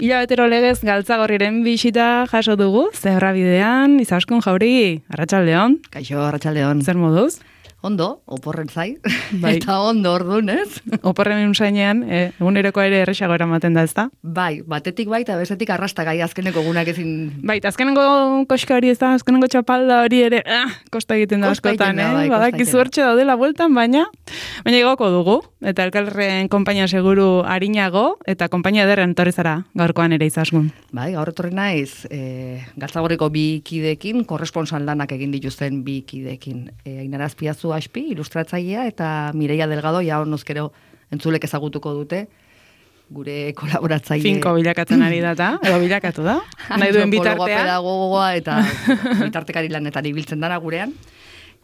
Hilabetero legez Galtzagorriren bisita jaso dugu, Zebrabidean, Izaskun Jauri, Arratsaldeon. Kaixo, Arratsaldeon. Zer moduz? Ondo, oporren zai, Bai. eta ondo orduan, ez? Oporren unsainean, eguneroko ere erresago eramaten da, ezta? Bai, batetik bai, eta bestetik arrastagai azkeneko egunak ezin... Bai, eta azkenengo koska hori ez da, azkenengo txapalda hori ere, kosta egiten da Kosta askotan, egiten da, bai, kosta Badaki egiten da. zuertxe daudela bueltan, baina igoko dugu, eta elkarren konpainia seguru arinago, eta konpainia ederren etorri zara gaurkoan ere Izaskun. Bai, gaur etorri naiz, Galtzagorriko bi kideekin, korresponsal lanak egin dituzten bi kideekin. Ainara Azpiazu Aspi, ilustratzailea, eta Mireia Delgado, ja honozkero entzulek ezagutuko dute, gure kolaboratzaile. Finko bilakatzen ari data, edo bilakatu da, nahi duen Antropologoa, bitartea. pedagogoa eta bitartekari lanetan ibiltzen dara gurean.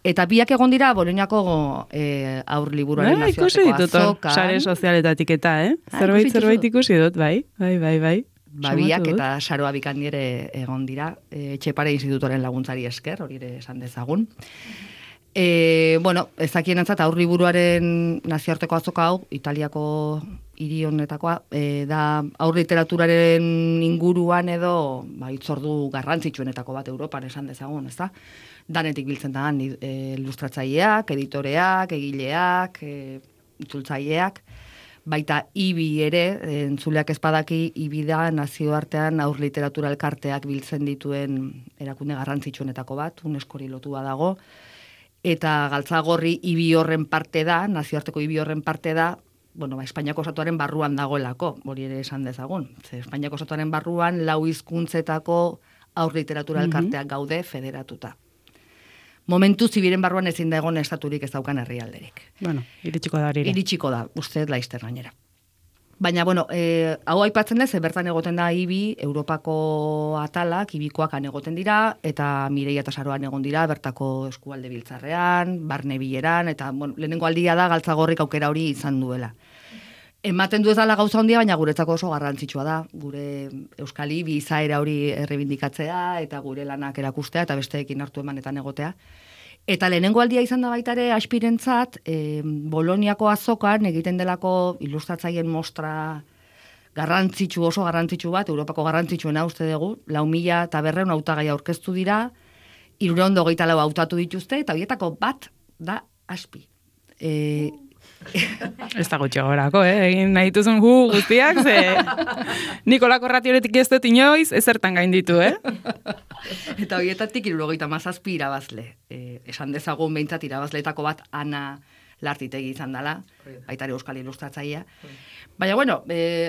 Eta biak egon dira Boloniako aur liburuaren Ikusi nazioarteko ditut hor, azokan. sare sozialetatik eta, Zerbait ikusi dut, bai. Babiak Somatu dut. eta Saroa Bikandi ere egon dira, Etxepare Institutoren laguntzari esker, hori ere esan dezagun. Ezakienentzat aur liburuaren nazioarteko azoka hau, Italiako hiri honetakoa, da aur literaturaren inguruan edo hitzordu garrantzitsuenetako bat Europan esan dezagun, ezta? Danetik biltzen da, ilustratzaileak, editoreak, egileak, itzultzaileak, baita IBI ere, entzuleak ezpadaki, IBI da nazioartean aur literatura elkarteak biltzen dituen erakunde garrantzitsuenetako bat, UNESCOri lotua dago, eta Galtzagorri IBI horren parte da, nazioarteko IBI horren parte da, Espainiako estatuaren barruan dagoelako, hori ere esan dezagun. Espainiako estatuaren barruan 4 hizkuntzetako aur literatura elkarteak gaude federatuta. Momentu zibiren barruan ezin da egon estaturik ez daukan herrialderik. Iritsiko da hori. Iritsiko da, uste laizter gainera. Baina, hau aipatzen ez, bertan egoten da IBI, Europako atalak, IBIkoak han egoten dira, eta Mireia eta Saroan egon dira, bertako eskualde biltzarrean, barne bileran, eta lehenengo aldia da Galtzagorrik aukera hori izan duela. Ematen du ez dela gauza handia, baina guretzako oso garrantzitsua da. Gure Euskal IBI izaera hori errebindikatzea, eta gure lanak erakustea, eta besteekin hartu emanetan egotea. Eta lehenengo aldia izan da baita ere Aspirentzat, Boloniako azokan egiten delako ilustratzaileen mostra oso garrantzitsu bat, Europako garrantzitsuena uste dugu, 4.500 hautagai aurkeztu dira, 324 hautatu dituzte, eta horietako bat da Aspi. Ez da gutxi gorako, egin nahi duzun guztiak, ze Nikolako ratioretik ez dut inoiz, ezertan gainditu, Eta horietatik 77 irabazle. Esan dezagun behintzat irabazleetako bat Ana Lartitegi izan dela, baita ere euskal ilustratzailea. Baina,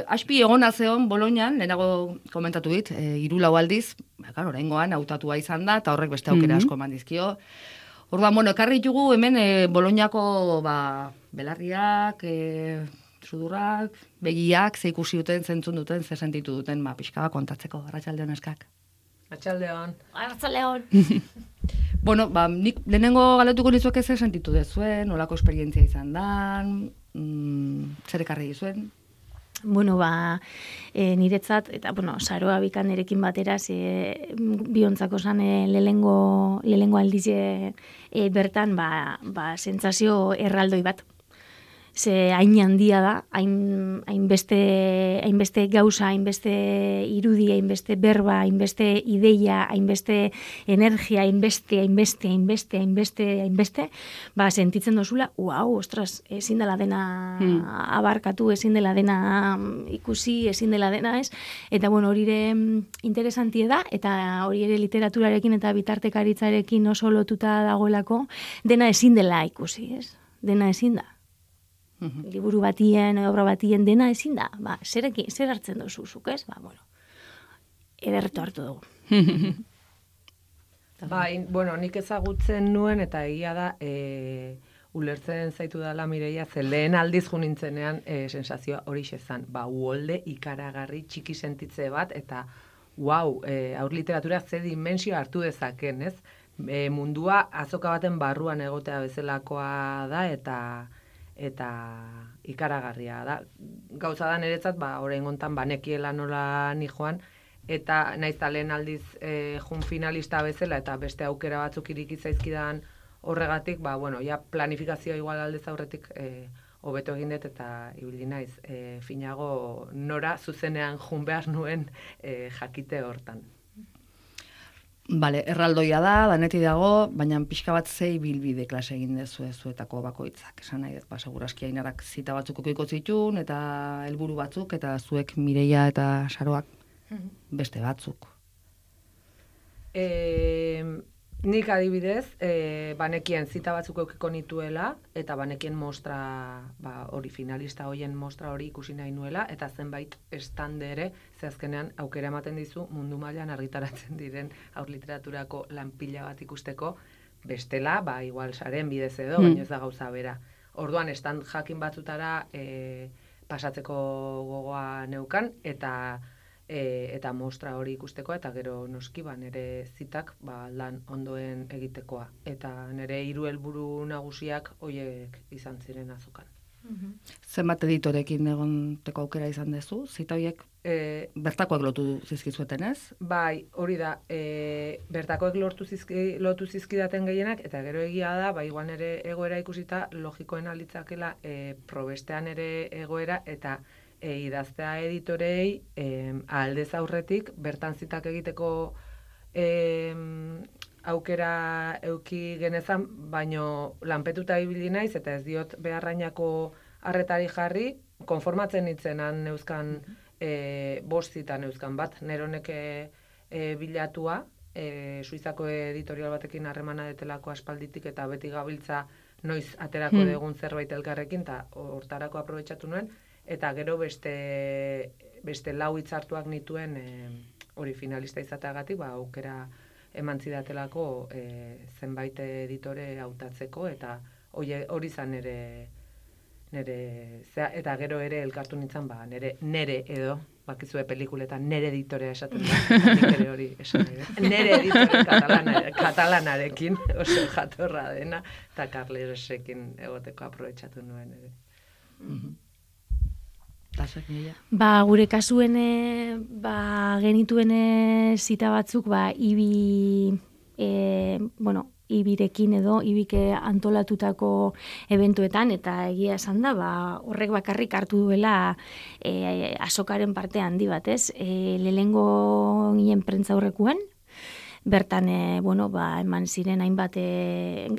Aspi egona zeon Bolonian, lehenago komentatu dit, 3-4 aldiz, oraingoan hautatua izan da, eta horrek beste aukera asko eman dizkio. Orduan, ekarri ditugu hemen Boloniako belarriak, sudurrak, begiak, ze ikusi duten, zentzun duten, ze sentitu duten, pixka kontatzeko, Arratsaldeon eskak. Arratsaldeon. Nik lehenengo galetuko nizuek ze sentitu dezuen, nolako esperientzia izan dan, zer ekarri dizuen? Niretzat, eta, Saroa Bikanerekin batera, biontzako zan lehenengo aldize bertan, sentsazio erraldoi bat. Ze hain handia da, hainbeste gauza, hainbeste irudi, hainbeste berba, hainbeste ideia, hainbeste energia, hainbeste, sentitzen dozula, ostras, ezin dela dena abarkatu, ezin dela dena ikusi, ezin dela dena ez, eta hori ere interesantie da, eta hori ere literaturarekin eta bitartekaritzarekin oso lotuta dagoelako, dena ezin dela ikusi, ez? Dena ezin da. Liburu batien, obra batien dena ezin da. Zer hartzen duzuzuk, ez? Ederretu hartu dugu. Nik ezagutzen nuen, eta egia da, ulertzen zaitu dela Mireia, ze lehen aldiz nintzenean sensazioa hori xezan. Uolde ikaragarri txiki sentitze bat, eta aur literatura ze dimensio hartu dezaken, ez? Mundua azoka baten barruan egotea bezalakoa da, eta ikaragarria da. Gauza da niretzat, orain gontan banekiela nola ni joan, eta naiz lehen aldiz jun finalista bezala, eta beste aukera batzuk iriki zaizkidan horregatik, planifikazioa igual aldez aurretik hobeto egin dut eta ibili naiz finago nora zuzenean jun behar nuen jakite hortan. Bale, erraldoia da, danetik dago, baina pixka bat zei bilbide klase egin dezu zuetako bakoitzak. Esan nahi dut, segurazki Ainarak zita batzuk okiko zitun, eta helburu batzuk, eta zuek Mireia eta Saroak beste batzuk. Nik adibidez, banekien zita batzuk eukiko nituela, eta banekien mostra, hori finalista hoien mostra hori ikusi nahi nuela, eta zenbait estande ere, ze azkenean aukera ematen dizu mundu mailan argitaratzen diren haur literaturako lan pila bat ikusteko, bestela, igual saren bidez edo, baina ez da gauza bera. Orduan, stand jakin batzutara pasatzeko gogoa neukan, eta mostra hori ikusteko, eta gero noski nire zitak lan ondoen egitekoa. Eta nire 3 helburu nagusiak hoiek izan ziren azokan. Zenbat editorekin egonteko aukera izan dezu? Zita horiek bertakoak lotu zizkizueten, ez? Bai, hori da, bertakoek lotu zizkidaten gehienak, eta gero egia da, igual nire egoera ikusita, logikoen alitzakela probestean ere egoera, eta idaztea editorei aldez aurretik bertan zitak egiteko aukera euki genezan, baino lanpetuta ibili naiz eta ez diot beharrainako arretari jarri, konformatzen nitzenan neuzkan 5 zita neuzkan bat, neronek bilatua, Suizako editorial batekin harremana detelako aspalditik eta beti gabiltza noiz aterako degun zerbait elkarrekin, eta hortarako aprobetxatu nuen, eta gero beste 4 hitzartuak nituen hori finalista izateagatik, aukera eman zidatelako zenbait editore hautatzeko, eta hori zan nire eta gero ere elkartu nintzen, nere edo, bakizue pelikuletan nere editorea esaten da, nik ere hori esan nahi. Nere editore katalanarekin, oso jatorra dena, eta Carlesekin egoteko aprobetxatu nuen ere. Gure kasuen genituen zita batzuk Ibirekin edo Ibik antolatutako eventuetan, eta egia esan da, horrek bakarrik hartu duela azokaren parte handi bat, ez? Lehengo ginen prentza aurrekoan, bertan, eman ziren hainbat,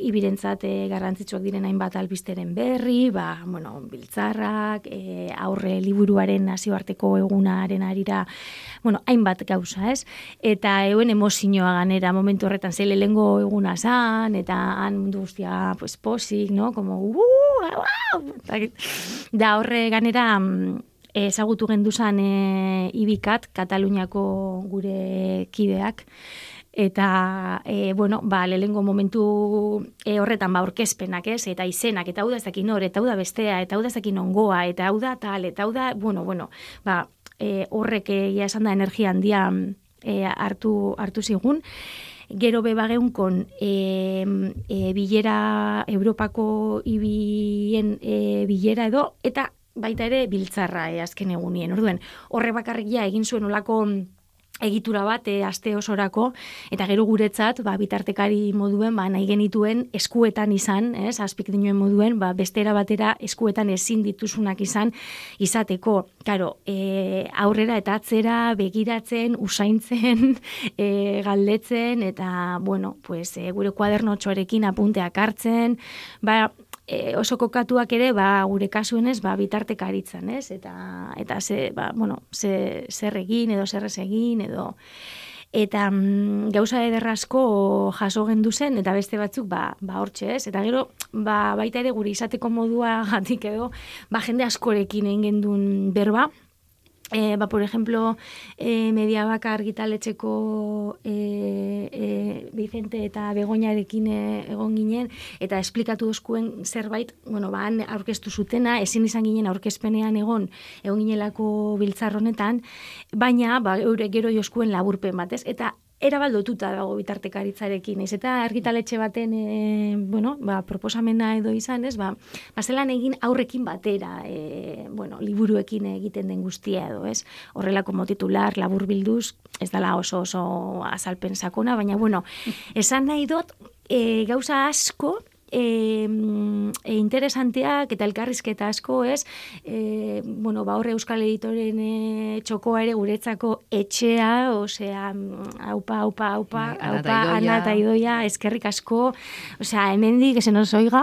ibirentzat garrantzitsuak diren hainbat albisteren berri, biltzarrak, aurre liburuaren nazioarteko egunaren arira, hainbat gauza, ez? Eta euen emozioa ganera momentu horretan, ze lehengo eguna zan, eta han mundu guztia, posik, no? Como, da horre ganera, ezagutu genduzan Ibikat, Kataluniako gure kideak, eta, lehengo momentu horretan, aurkezpenak, ez? Eta izenak, eta hau da ezakin hor, eta hau da bestea, eta hau da ezakin ongoa, eta hau da tal, eta hau da, horrek esan da energia handia hartu zigun. Gero bebageunkon bilera, Europako ibien bilera edo, eta baita ere biltzarra azken egunien. Orduen, horre bakarrik egin zuen olako egitura bat aste osorako, eta gero guretzat, bitartekari moduen, nahi genituen eskuetan izan, azpik dinuen moduen, bestera batera eskuetan ezin dituzunak izateko. Karo, aurrera eta atzera begiratzen, usaintzen, galdetzen, eta, gure kuadernotxoarekin apunteak hartzen, oso kokatuak ere, gure kasuenez, bitartekaritzen, ez? Eta zer egin, edo zer ez egin, edo... Eta gauza ederrazko jaso gendu zen, eta beste batzuk, hortxe, ez? Eta gero, baita ere gure izateko modua gatik edo, jende askorekin egin gendun berba, por ejemplo, Mediabaka argitaletxeko Vicente eta Begoñarekin egon ginen, eta esplikatu dozkuen zerbait, han aurkeztu zutena, ezin izan ginen aurkezpenean egon ginelako biltzar honetan, baina, eure gero joskuen laburpen batez, eta erabaldotuta dago bitartekaritzarekin, ez eta argitaletxe baten proposamena edo izan, ez, zelan egin aurrekin batera, liburuekin egiten den guztia edo, ez, horrelako motitular, labur bilduz, ez dela oso azalpen sakona, baina, esan nahi dut, gauza asko, interesanteak eta elkarrizketa asko, ez? Bueno, ba, horre Euskal Editoren txokoa ere guretzako etxea, osea, aupa, Ana eta Idoia, eskerrik asko, osea, hemendik, que se nos oiga.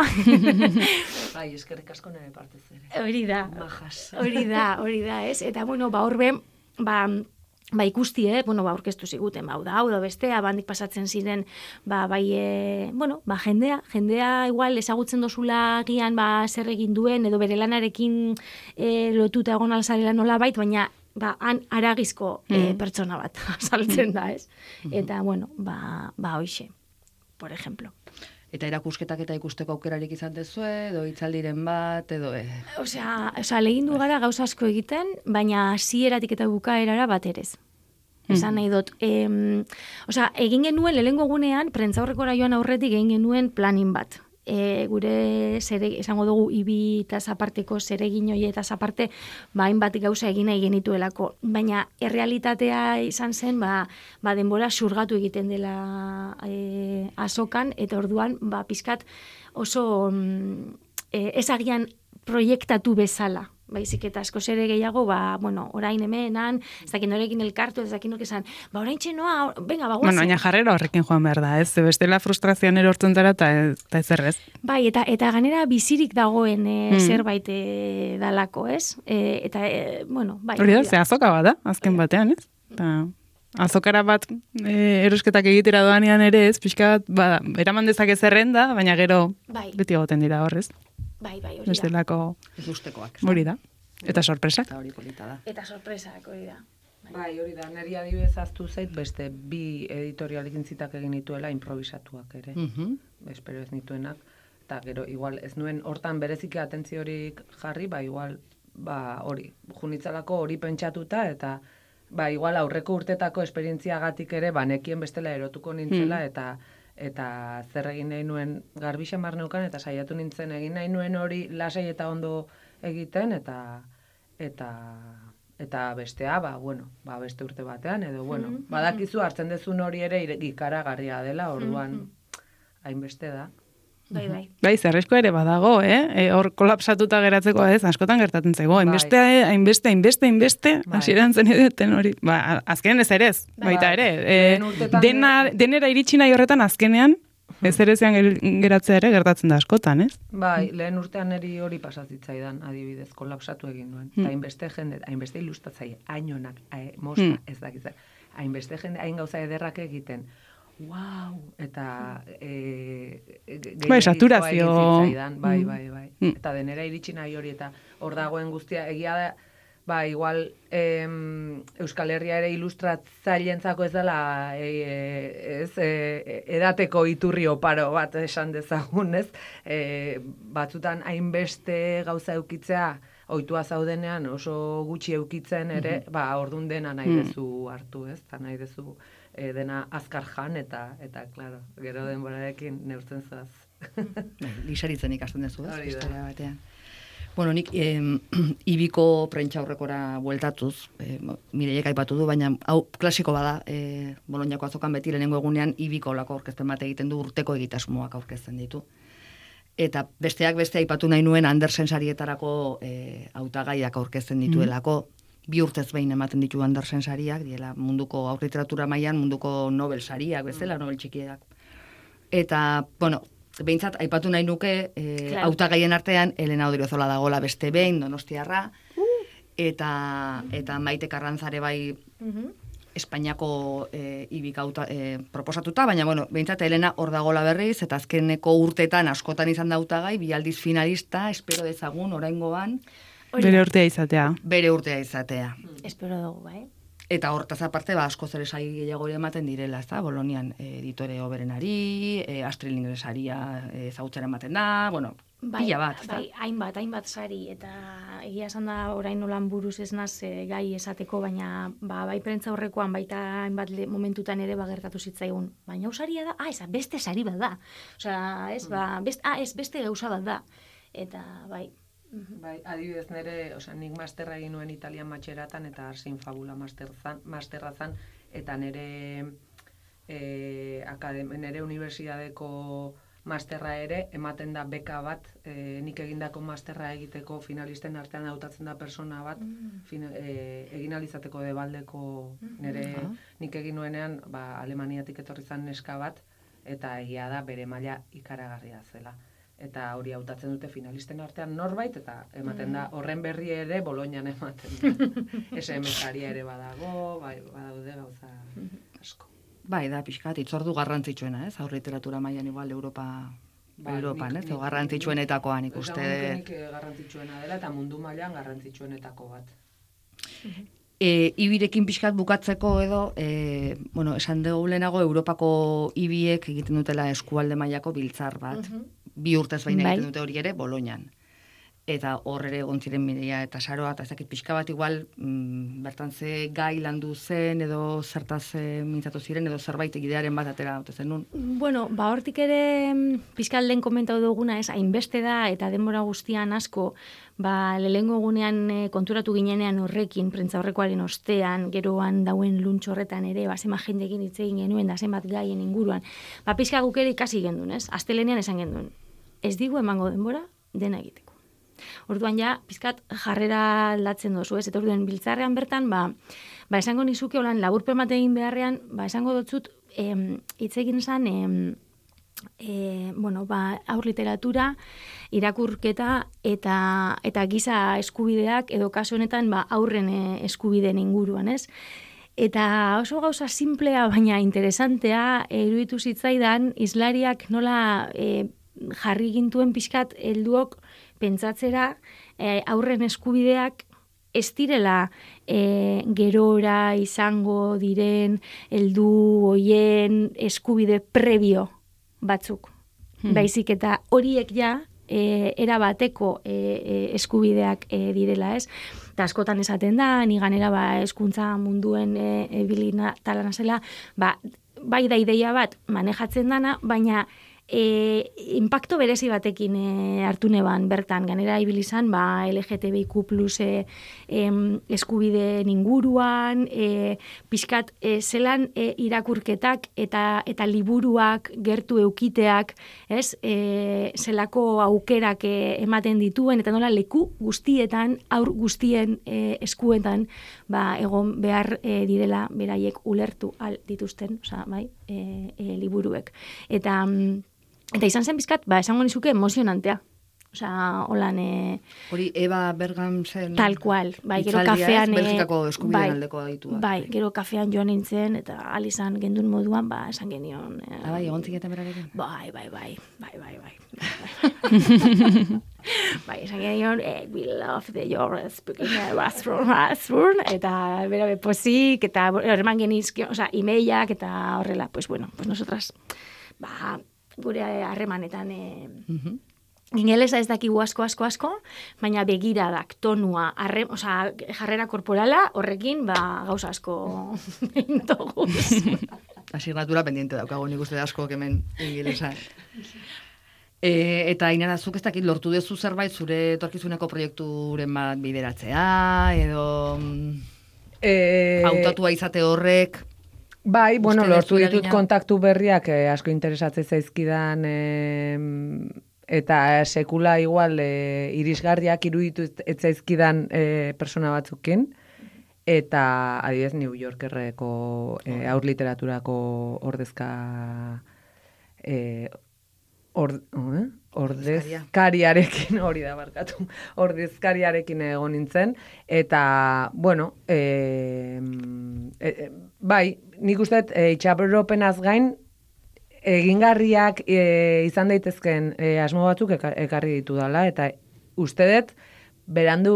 Bai, eskerrik asko nire partez ere. Hori da. Majas. Hori da, ez? Eta, bueno, ba, horbe, ba ikusti, bueno, ba aurkeztu ziguten, ba, hau da bestea, bandik pasatzen ziren, ba, bai, bueno, ba, jendea igual ezagutzen dozula gian, ba, zer egin duen, edo bere lanarekin lotuta egon alzarela nola bait, baina, ba, han aragizko pertsona bat saltzen da, ez? Eta, bueno, ba, hoixe, por ejemplo. Eta erakusketak eta ikusteko aukerarik izan dezue, edo hitzaldiren bat, edo... Osea, legindu gara gauza asko egiten, baina hasieratik eta bukaerara bat erez. Esan nahi dut. Osea, egin genuen, lehengo gunean, prentzaurrekora joan aurretik egin genuen planin bat. Gure esango dugu ibi eta zaparteko zeregin hori eta zaparte hainbat gauza egin nahi genituelako. Baina errealitatea izan zen denbora xurgatu egiten dela azokan, eta orduan pizkat oso ezagian proiektatu bezala. Baizik eta asko zere gehiago, bueno, orain hemenan, ez dakin norekin elkartu, ez dakin esan, orain txenoa, venga, guazen. Bueno, baina jarrera horrekin joan behar da, ez? Bestela frustrazioan erortzen dara eta ez errez. Bai, eta ganera bizirik dagoen zerbait dalako, ez? Bueno, bai. Hori da, ze azoka bat da, azken batean, ez? Azokara bat erosketak egitera doanean ere, ez? Pixka bat, eraman dezake zerrenda, baina gero beti egoten dira horrez. Bai, hori da. Bestelako... Ikustekoak. Hori da. Eta sorpresak. Eta hori polita da. Eta sorpresak, hori da. Bai, hori da. Neri adibidez aztu zait, beste bi editorialik intzitak egin dituela improvisatuak ere. Espero ez nituenak. Eta gero, igual, ez nuen hortan bereziki atentziorik jarri, igual, hori, junitzalako hori pentsatuta, eta igual aurreko urtetako esperientziagatik ere, nekien bestela erotuko nintzela, eta zer egin nahi nuen garbi xamar neukan, eta saiatu nintzen egin nahi nuen hori lasai eta ondo egiten, eta bestea, bueno, beste urte batean, edo, bueno, badakizu hartzen dezun hori ere ikaragarria dela, orduan hainbeste da. Bai. Bai, zerrezko ere badago, hor kolapsatuta geratzeko ez, askotan gertatzen zego, hainbeste, hasieran zen edeten hori. Azkenean ez ere ez, baita ere. Denera iritsi nahi horretan azkenean, ez ere zean geratzea ere gertatzen da askotan, ez? Bai, lehen urtean eri hori pasazitzaidan, adibidez, kolapsatu egin duen. Eta hainbeste jende, hainbeste ilustatzaile, hainonak, mosta, ez dakizan, hainbeste jende, hain gauza ederrak egiten, wow, eta saturazio. Bai. Eta denera iritsi nahi hori, eta hor dagoen guztia, egia da, igual Euskal Herria ere ilustratzaileentzako ez dela edateko iturri oparo bat esan dezagun, ez? Batzutan hainbeste gauza eukitzea, ohitua zaudenean oso gutxi eukitzen ere, ordun dena nahi dezu hartu, ez? Eta nahi dezu dena azkar jan, eta claro, gero denborarekin neurtzen zoaz. Lisaritzen ikasten dezu, ez? Historia batean. Bueno, nik ibiko prentxaurrekora bueltatuz, Mireiek aipatu du, baina hau klasiko bada, Boloniako azokan beti lehenengo egunean ibiko olako aurkezpen bat egiten du, urteko egitasmoak aurkezten ditu. Eta besteak beste aipatu nahi nuen Andersen sarietarako hautagaiak aurkezten dituelako, 2 urtez behin ematen ditu Andersen sariak, diela munduko aurliteratura mailan munduko Nobel sariak, bezala, Nobel txikiak. Eta, bueno, behintzat, aipatu nahi nuke, hautagaien artean, Elena Odriozola dagoela beste behin, donostiarra, eta Maite Karrantzare bai Espainiako ibik proposatuta, baina, bueno, behintzat, Elena hor dagoela berriz, eta azkeneko urtetan askotan izan da hautagai, 2 aldiz finalista, espero dezagun, oraingoan, Bere urtea izatea. Bere urtea izatea. Espero dugu, bai. Eta hortaz aparte, asko zer esai gehiago ematen direla, ezta? Bolonian editore oberenari, Astrid Lindgren saria ezagutzera ematen da, bueno, pila bat, ezta? Bai, hainbat sari, eta egia esan da orain nolan buruz ez naz gai esateko, baina bai prentza horrekoan baita hainbat momentutan ere gertatu zitzaigun. Baina hau saria da, beste sari bat da. Osea, beste gauza bat da. Eta, bai, Bai, adibidez nire, nik masterra egin nuen Italian matxeratan eta Arsin Fabula masterra zan, eta nire unibertsitateko masterra ere, ematen da beka bat, nik egindako masterra egiteko finalisten artean hautatzen da persona bat, egin alizateko debaldeko nire nik egin nuenean, Alemaniatik etorri zan neska bat, eta egia da bere maila ikaragarria zela. Eta hori hautatzen dute finalisten artean norbait, eta ematen da horren berri ere Bolognan ematen da. SMS-aria ere badago, badaude gauza asko. Bai, da, pixkat, itzordu garrantzitsuena, ez? Aurre literatura mailan igual Europan, ez? Garrantzitsuenetakoa nik uste. Nik garrantzitsuena dela, eta mundu mailan garrantzitsuenetako bat. Ibirekin pixkat bukatzeko edo, esan dugu lehenago Europako ibiek egiten dutela eskualde mailako biltzar bat. 2 urtez baina egiten dute hori ere, Bolognan. Eta hor ere gontziren Mireia eta Saroa, eta ezakit pixka bat igual, bertan ze gai landu zen, edo zertaz mintzatu ziren, edo zerbait egidearen bat atera dute zen nun. Bueno, hortik ere pixkalden komentau duguna, ez, hainbeste da, eta denbora guztian asko, lehengo egunean konturatu ginenean horrekin, prentza horrekoaren ostean, geroan dauen luntxo horretan ere, zema jendekin hitz egin genuen, da zenbat gaien inguruan. Pixka guk ere ikasi gendun, ez? Astelenean esan gendun. Ez digu emango denbora dena egiteko. Orduan ja, pizkat jarrera aldatzen dozu, ez? Eta orduan biltzarrean bertan, esango nizuke holan laburpen bat egin beharrean, esango dotzut, hitz egin zan, aur literatura, irakurketa eta giza eskubideak, edo kasu honetan, aurren eskubideen inguruan, ez? Eta oso gauza simplea, baina interesantea, iruditu zitzaidan, hizlariak nola jarri gintuen pixkat helduok pentsatzera aurren eskubideak ez direla gerora izango diren heldu hoien eskubide prebio batzuk. Baizik eta horiek ja era bateko eskubideak direla, ez? Eta askotan esaten da, ni ganera hezkuntza munduen ebilina talana zela, bai da ideia bat manejatzen dana, baina impacto berezi batekin hartu neban bertan, ganera ibilizan LGTBIQ plus eskubideen inguruan, pixkat zelan irakurketak eta liburuak gertu eukiteak, ez, zelako aukerak ematen dituen, eta nola leku guztietan, aur guztien eskuetan egon behar direla beraiek ulertu al dituzten, liburuek. Eta izan zen bizkat, esango nizuke emozionantea. Holan... Hori, Eva Bergam zen... Tal cual, gero kafean... Belgikako eskubideen aldeko aditua. Gero kafean joan nintzen, eta alizan gendun moduan, esan genion... egon ziketen berarekin? Bai. Esan genion, we love your speaking restaurant, eta bera bepozik, eta herman genizkio, emailak, eta horrela, pues nosotras, gure harremanetan ingelesa ez dakigu asko, baina begiradak, tonua, jarrera korporala, horrekin gauza asko intoguz. Asignatura pendiente daukago nik uste asko hemen ingelesa. Eta Ainara, zuk ez dakit lortu dezu zerbait zure etorkizuneko proiekturen bat bideratzea, edo hautatua izate horrek... Bai, lortu ditut kontaktu berriak asko interesatzen zaizkidan eta sekula igual irisgarriak iruditu ez zaizkidan persona batzukin, eta adibidez New Yorkerreko aur literaturako ordezka ordezkariarekin, hori da barkatu, ordezkariarekin egon nintzen, eta, bai, nik uste itxaropenaz gain, egingarriak izan daitezken asmo batzuk ekarri ditu dela, eta uste dut, berandu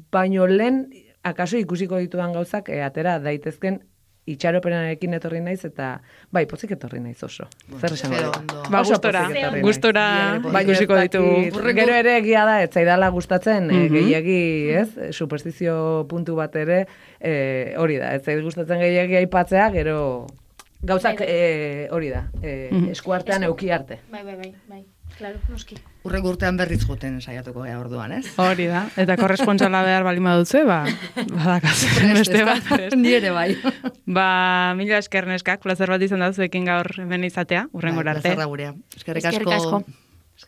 baino lehen, akaso ikusiko ditudan gauzak atera daitezken itxaropenarekin etorri naiz, eta bai, pozik etorri naiz oso. Zer esan gustora ikusiko ditugu. Gero ere egia da, ez zaidala gustatzen, gehiegi, ez? Superstizio puntu bat ere, hori da, ez zaid gustatzen gehiegi aipatzea, gero gauzak hori da, eskuartean euki arte. Bai. Claro, noski. Urrengo urtean berriz joten saiatuko gea orduan, ez? Hori da, eta korrespontsala behar bali badutze, badakaz. Beste bat. Ni ere bai. Mila esker neskak, plazer bat izan da zuekin gaur hemen izatea, urrengora arte. Plazerra gurea. Eskerrik asko.